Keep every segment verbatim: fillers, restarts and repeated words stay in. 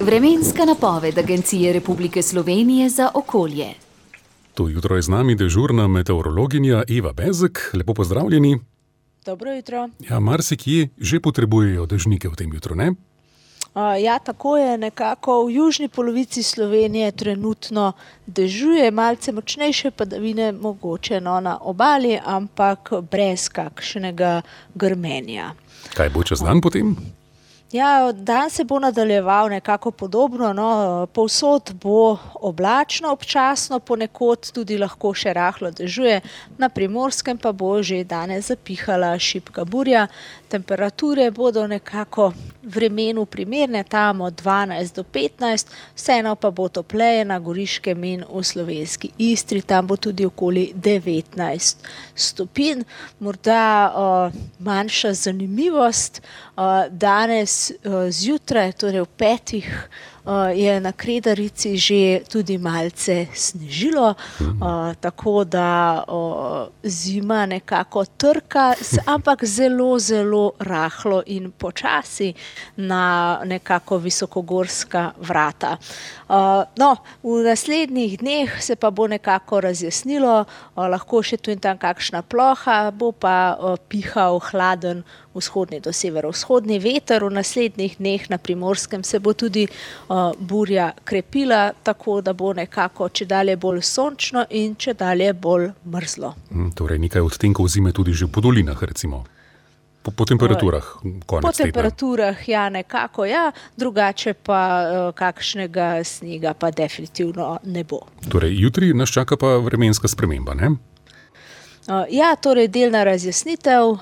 Vremenska napoved Agencije Republike Slovenije za okolje. To jutro je z nami dežurna meteorologinja Eva Bezek. Lepo pozdravljeni. Dobro jutro. Ja, marsikje že potrebujejo dežnike v tem jutru, ne? Uh, ja, tako je nekako v južni polovici Slovenije trenutno dežuje, malce močnejše padavine mogoče no, na obali, ampak brez kakšnega grmenja. Kaj bo čez dan potem? Ja, dan se bo nadaljeval nekako podobno, no, povsod bo oblačno, občasno ponekod tudi lahko še rahlo dežuje, na Primorskem pa bo že danes zapihala šibka burja. Temperature bodo nekako vremenu primerne, tam od dvanajst do petnajst, vseeno pa bo topleje na Goriškem in v slovenski Istri, tam bo tudi okoli devetnajst stopinj. Morda uh, manjša zanimivost, uh, danes uh, zjutraj, torej v petih, Uh, je na Kredarici že tudi malce snežilo, uh, tako da uh, zima nekako trka, ampak zelo, zelo rahlo in počasi na nekako visokogorska vrata. Uh, no, v naslednjih dneh se pa bo nekako razjasnilo, uh, lahko še tu in tam kakšna ploha, bo pa uh, pihal hladen vzhodni do severovzhodni veter. V naslednjih dneh na Primorskem se bo tudi uh, burja krepila, tako da bo nekako čedalje bolj sončno in čedalje bolj mrzlo. Hmm, torej nekaj odtenkov zime tudi že po dolinah, recimo. Po, po temperaturah, konec Po tedna. temperaturah, ja, nekako, ja, drugače pa uh, kakšnega snega pa definitivno ne bo. Torej, jutri nas čaka pa vremenska sprememba, ne? Uh, ja, torej delna razjasnitev, uh,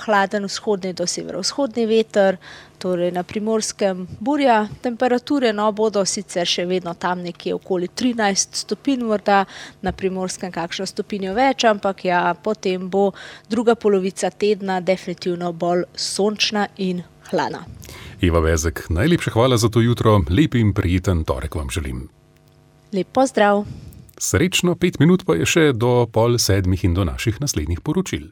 hladen vzhodni do severovzhodni veter, torej na Primorskem burja, temperature no bodo sicer še vedno tam nekje okoli trinajst stopinj, morda na Primorskem kakšno stopinjo več, ampak ja, potem bo druga polovica tedna definitivno bolj sončna in hladna. Eva Bezek, najlepša hvala za to jutro, lep in prijeten torek vam želim. Lep pozdrav. Srečno, pet minut pa je še do pol sedmih in do naših naslednjih poročil.